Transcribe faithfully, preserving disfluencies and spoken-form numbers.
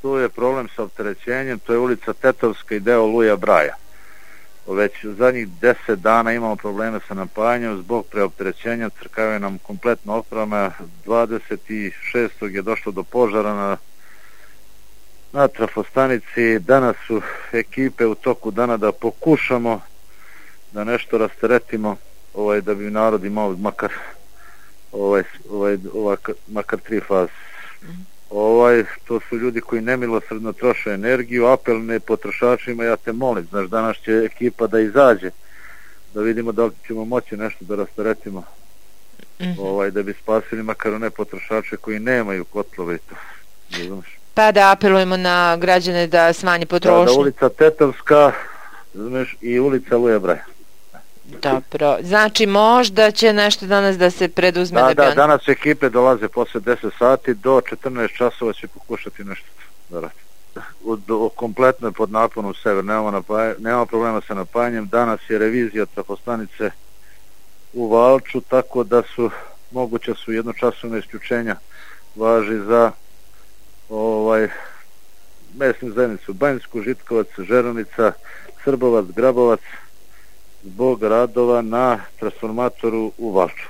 tu je problem sa opterećenjem, to je ulica Tetovska i deo Luja Braja. Već u zadnjih deset dana imamo probleme sa napajanjem zbog preopterećenja, crkavaju nam kompletno oprema. dvadeset šestog je došlo do požara na, na trafostanici. Danas su ekipe u toku dana da pokušamo da nešto rasteretimo, ovaj, da bi narod imao makar ovaj, ovaj, ovaj, makar tri faze. Ovaj, to su ljudi koji nemilosrdno troše energiju, apel ne potrošačima, ja te molim, znaš, danas će ekipa da izađe, da vidimo da li ćemo moći nešto da rasteretimo, mm-hmm. ovaj, da bi spasili makar one potrošače koji nemaju kotlove i to, ne znaš. Pa da apelujemo na građane da smanje potrošnju. Da, da ulica Tetovska, znaš, i ulica Luja Braja. Dobro, znači možda će nešto danas da se preduzme. Da, da, da, on... danas ekipe dolaze posle deset sati, do četrnaest časova će pokušati nešto da radi. U, do, kompletno je pod naponom sever, nemamo, napaj, nemamo problema sa napajanjem. Danas je revizija trafostanice u Valču, tako da su moguće su jednočasovne isključenja, važi za ovaj mesnu zajednicu Banjsku, Žitkovac, Žeranica, Srbovac, Grabovac, zbog radova na transformatoru u Valču.